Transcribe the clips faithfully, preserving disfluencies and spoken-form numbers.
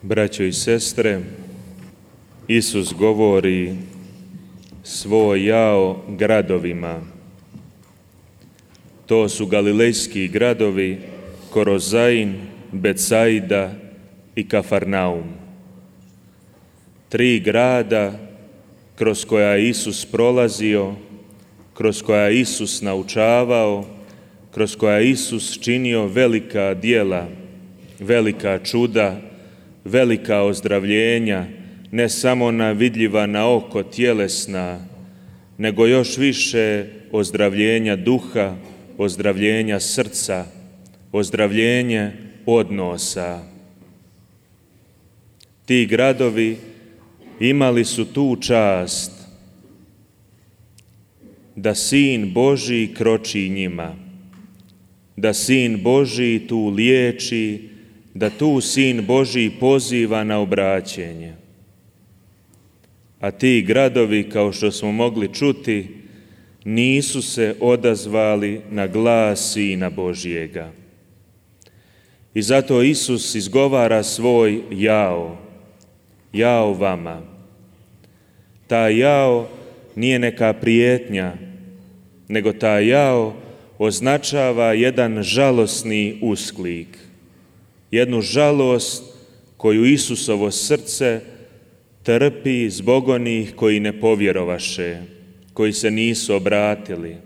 Braćo i sestre, Isus govori svoj jao gradovima. To su galilejski gradovi Korozain, Betsaida i Kafarnaum. Tri grada kroz koja je Isus prolazio, kroz koja je Isus naučavao, kroz koja je Isus činio velika djela, velika čuda, velika ozdravljenja, ne samo na vidljiva na oko tjelesna, nego još više ozdravljenja duha, ozdravljenja srca, ozdravljenje odnosa. Ti gradovi imali su tu čast da Sin Božji kroči njima, da Sin Božji tu liječi, da tu Sin Božji poziva na obraćenje. A ti gradovi, kao što smo mogli čuti, nisu se odazvali na glas Sina Božjega. I zato Isus izgovara svoj jao, jao vama. Ta jao nije neka prijetnja, nego ta jao označava jedan žalosni usklik, jednu žalost koju Isusovo srce trpi zbog onih koji ne povjerovaše, koji se nisu obratili.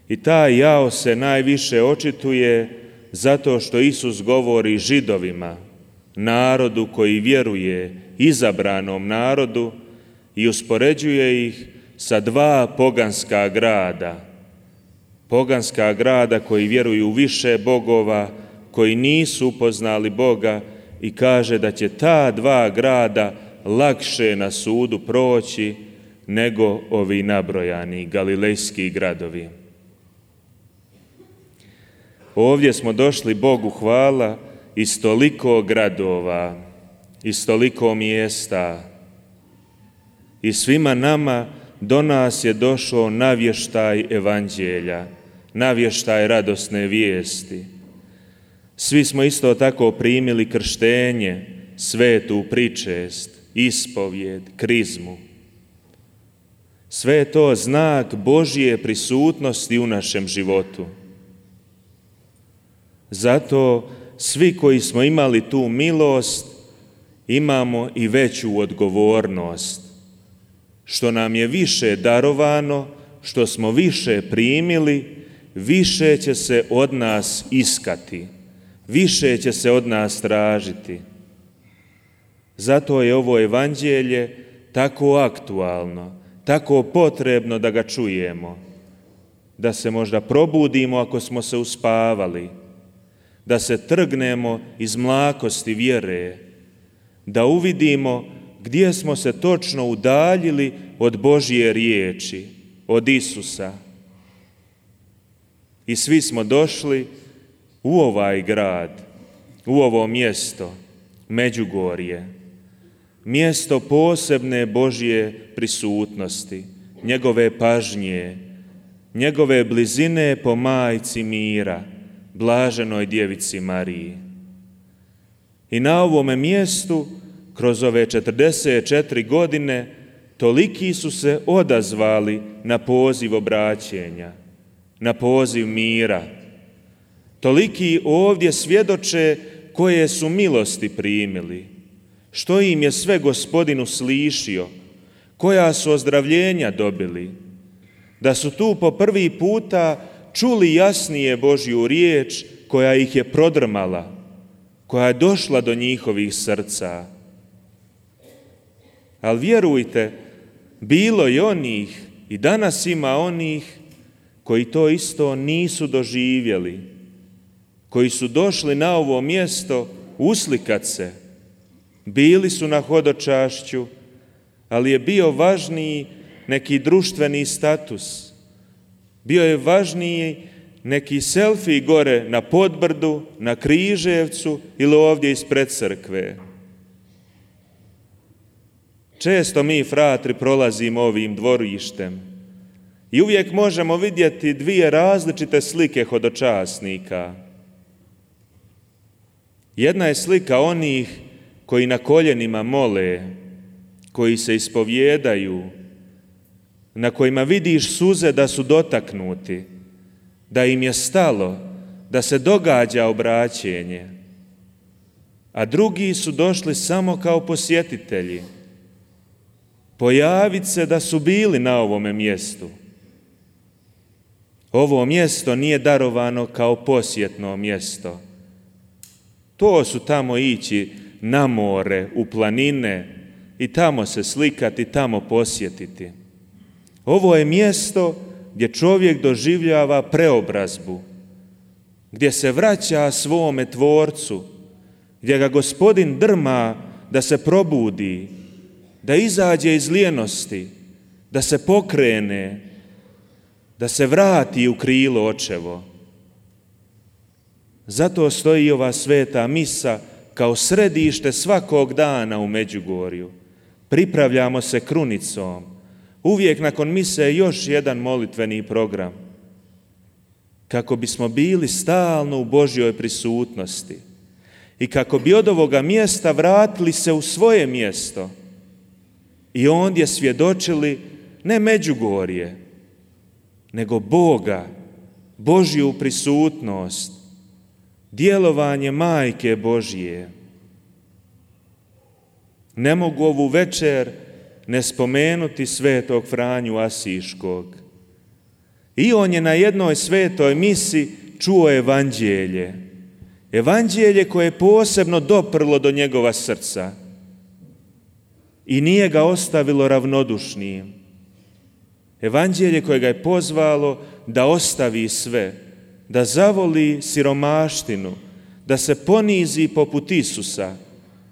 I taj jao se najviše očituje zato što Isus govori Židovima, narodu koji vjeruje, izabranom narodu, i uspoređuje ih sa dva poganska grada. Poganska grada koji vjeruju u više bogova, koji nisu upoznali Boga, i kaže da će ta dva grada lakše na sudu proći nego ovi nabrojani galilejski gradovi. Ovdje smo došli Bogu hvala iz toliko gradova, iz toliko mjesta, i svima nama do nas je došao navještaj evanđelja, navještaj radosne vijesti. Svi smo isto tako primili krštenje, svetu pričest, ispovjed, krizmu. Sve je to znak Božje prisutnosti u našem životu. Zato svi koji smo imali tu milost imamo i veću odgovornost. Što nam je više darovano, što smo više primili, više će se od nas iskati. Više će se od nas tražiti. Zato je ovo evanđelje tako aktualno, tako potrebno da ga čujemo, da se možda probudimo ako smo se uspavali, da se trgnemo iz mlakosti vjere, da uvidimo gdje smo se točno udaljili od Božje riječi, od Isusa. I svi smo došli u ovaj grad, u ovo mjesto, Međugorje, mjesto posebne Božje prisutnosti, njegove pažnje, njegove blizine po majci mira, blaženoj djevici Mariji. I na ovome mjestu, kroz ove četrdeset četiri godine, toliki su se odazvali na poziv obraćenja, na poziv mira. Toliki ovdje svjedoče koje su milosti primili, što im je sve Gospodin uslišio, koja su ozdravljenja dobili, da su tu po prvi puta čuli jasnije Božju riječ koja ih je prodrmala, koja je došla do njihovih srca. Ali vjerujte, bilo je onih i danas ima onih koji to isto nisu doživjeli, koji su došli na ovo mjesto uslikat se. Bili su na hodočašću, ali je bio važniji neki društveni status. Bio je važniji neki selfie gore na Podbrdu, na Križevcu ili ovdje ispred crkve. Često mi, fratri, prolazimo ovim dvorištem i uvijek možemo vidjeti dvije različite slike hodočasnika. Jedna je slika onih koji na koljenima mole, koji se ispovjedaju, na kojima vidiš suze da su dotaknuti, da im je stalo, da se događa obraćenje, a drugi su došli samo kao posjetitelji, pojaviti se da su bili na ovome mjestu. Ovo mjesto nije darovano kao posjetno mjesto. To su tamo ići na more, u planine i tamo se slikati, tamo posjetiti. Ovo je mjesto gdje čovjek doživljava preobrazbu, gdje se vraća svome Tvorcu, gdje ga Gospodin drma da se probudi, da izađe iz lijenosti, da se pokrene, da se vrati u krilo očevo. Zato stoji ova sveta misa kao središte svakog dana u Međugorju. Pripravljamo se krunicom. Uvijek nakon mise je još jedan molitveni program, kako bismo bili stalno u Božjoj prisutnosti i kako bi od ovoga mjesta vratili se u svoje mjesto i ondje svjedočili ne Međugorje, nego Boga, Božju prisutnost, djelovanje Majke Božje. Ne mogu ovu večer ne spomenuti svetog Franju Asiškog. I on je na jednoj svetoj misi čuo evanđelje. Evanđelje koje je posebno doprlo do njegova srca i nije ga ostavilo ravnodušnim. Evanđelje koje ga je pozvalo da ostavi sve, da zavoli siromaštinu, da se ponizi poput Isusa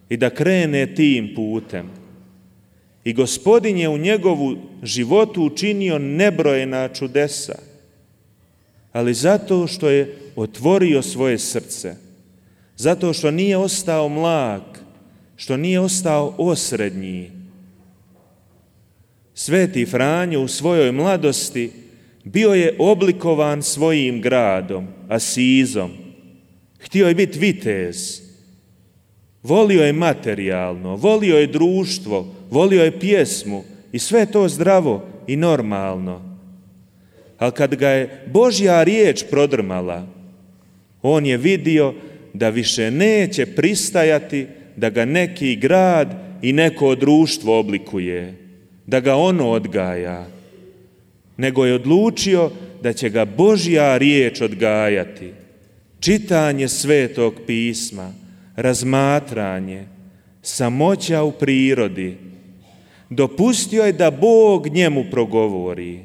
i da krene tim putem. I Gospodin je u njegovu životu učinio nebrojena čudesa, ali zato što je otvorio svoje srce, zato što nije ostao mlak, što nije ostao osrednji. Sveti Franjo u svojoj mladosti bio je oblikovan svojim gradom, Asizom. Htio je biti vitez. Volio je materijalno, volio je društvo, volio je pjesmu i sve to zdravo i normalno. Ali kad ga je Božja riječ prodrmala, on je vidio da više neće pristajati da ga neki grad i neko društvo oblikuje, da ga ono odgaja, nego je odlučio da će ga Božja riječ odgajati. Čitanje Svetog pisma, razmatranje, samoća u prirodi. Dopustio je da Bog njemu progovori.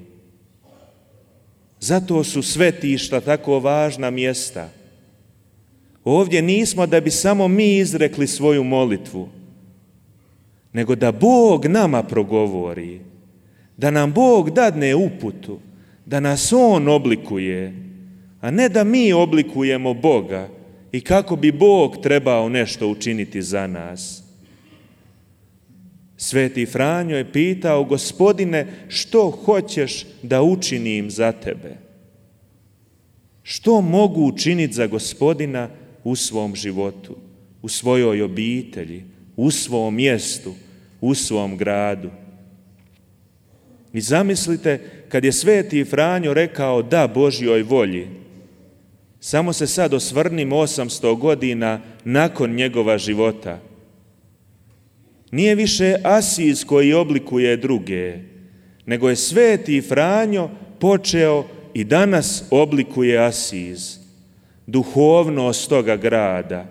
Zato su svetišta tako važna mjesta. Ovdje nismo da bi samo mi izrekli svoju molitvu, nego da Bog nama progovori, da nam Bog dadne uputu, da nas On oblikuje, a ne da mi oblikujemo Boga i kako bi Bog trebao nešto učiniti za nas. Sveti Franjo je pitao: Gospodine, što hoćeš da učinim za tebe? Što mogu učiniti za Gospodina u svom životu, u svojoj obitelji, u svom mjestu, u svom gradu? I zamislite, kad je Sveti Franjo rekao da Božjoj volji, samo se sad osvrnimo osamsto godina nakon njegova života. Nije više Asiz koji oblikuje druge, nego je Sveti Franjo počeo i danas oblikuje Asiz, duhovnost toga grada.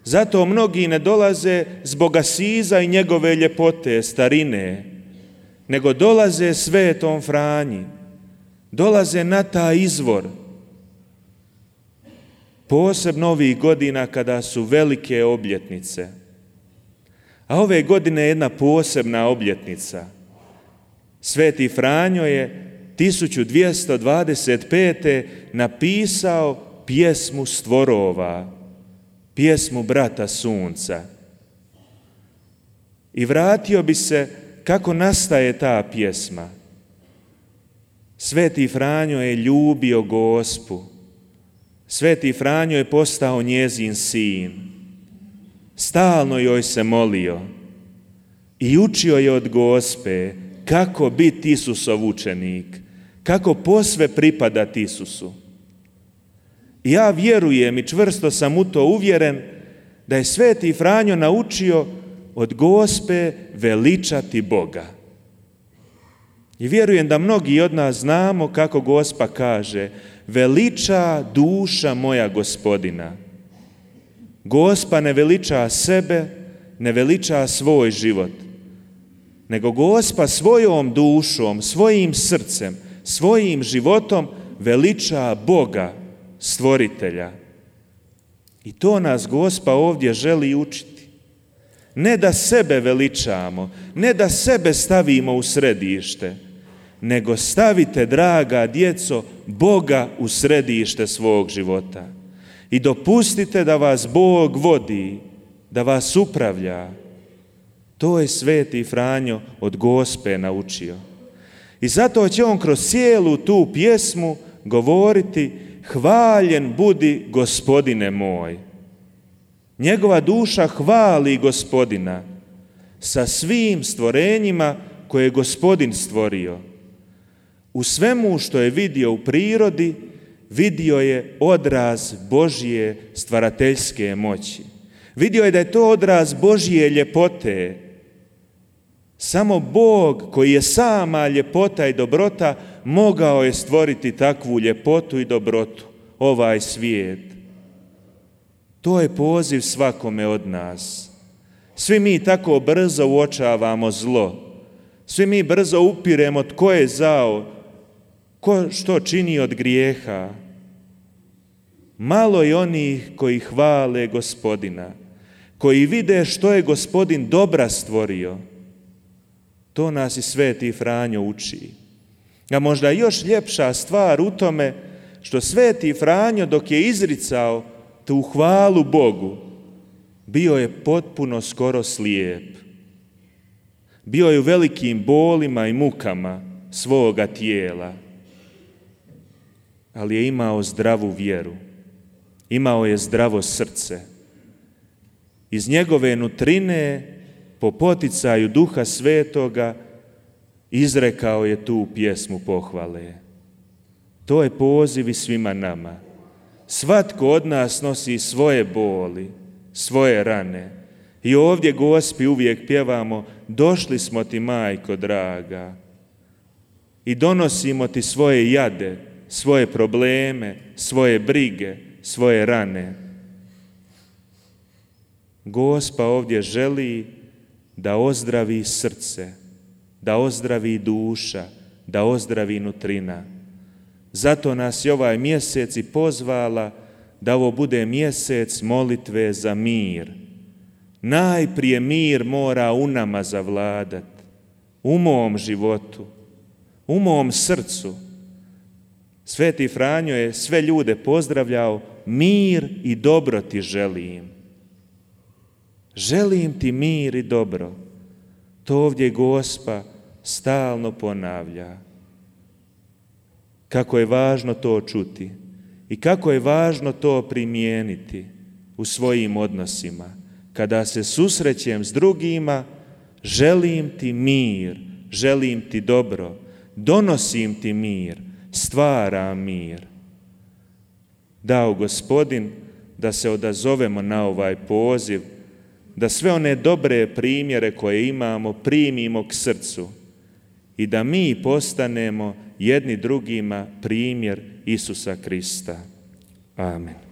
Zato mnogi ne dolaze zbog Asiza i njegove ljepote, starine, nego dolaze Svetom Franji, dolaze na taj izvor. Posebno ovih godina kada su velike obljetnice. A ove godine je jedna posebna obljetnica. Sveti Franjo je tisuću dvjesto dvadeset pete napisao pjesmu stvorova, pjesmu Brata Sunca. I vratio bi se kako nastaje ta pjesma. Sveti Franjo je ljubio Gospu. Sveti Franjo je postao njezin sin. Stalno joj se molio i učio je od Gospe kako biti Isusov učenik, kako posve pripadati Isusu. Ja vjerujem i čvrsto sam u to uvjeren da je Sveti Franjo naučio od Gospe veličati Boga. I vjerujem da mnogi od nas znamo kako Gospa kaže: veliča duša moja Gospodina. Gospa ne veliča sebe, ne veliča svoj život, nego Gospa svojom dušom, svojim srcem, svojim životom veliča Boga, Stvoritelja. I to nas Gospa ovdje želi učiti. Ne da sebe veličamo, ne da sebe stavimo u središte, nego stavite, draga djeco, Boga u središte svog života. I dopustite da vas Bog vodi, da vas upravlja. To je Sveti Franjo od Gospe naučio. I zato će on kroz cijelu tu pjesmu govoriti: hvaljen budi Gospodine moj. Njegova duša hvali Gospodina sa svim stvorenjima koje je Gospodin stvorio. U svemu što je vidio u prirodi, vidio je odraz Božje stvarateljske moći. Vidio je da je to odraz Božje ljepote. Samo Bog, koji je sama ljepota i dobrota, mogao je stvoriti takvu ljepotu i dobrotu, ovaj svijet. To je poziv svakome od nas. Svi mi tako brzo uočavamo zlo. Svi mi brzo upiremo tko je zao, ko što čini od grijeha. Malo je onih koji hvale Gospodina, koji vide što je Gospodin dobra stvorio. To nas i Sveti Franjo uči. A možda još ljepša stvar u tome što Sveti Franjo, dok je izricao tu hvalu Bogu, bio je potpuno skoro slijep. Bio je u velikim bolima i mukama svoga tijela, ali je imao zdravu vjeru, imao je zdravo srce. Iz njegove nutrine, po poticaju Duha Svetoga, izrekao je tu pjesmu pohvale. To je poziv i svima nama. Svatko od nas nosi svoje boli, svoje rane. I ovdje Gospi uvijek pjevamo: došli smo ti, majko draga, i donosimo ti svoje jade, svoje probleme, svoje brige, svoje rane. Gospa ovdje želi da ozdravi srce, da ozdravi duša, da ozdravi nutrina. Zato nas je ovaj mjesec i pozvala da ovo bude mjesec molitve za mir. Najprije mir mora u nama zavladati, u mom životu, u mom srcu. Sveti Franjo je sve ljude pozdravljao: mir i dobro ti želim. Želim ti mir i dobro. To ovdje Gospa stalno ponavlja. Kako je važno to čuti i kako je važno to primijeniti u svojim odnosima. Kada se susrećem s drugima, želim ti mir, želim ti dobro, donosim ti mir, stvaram mir. Dao Gospodin da se odazovemo na ovaj poziv, da sve one dobre primjere koje imamo primimo k srcu i da mi postanemo jedni drugima primjer Isusa Krista. Amen.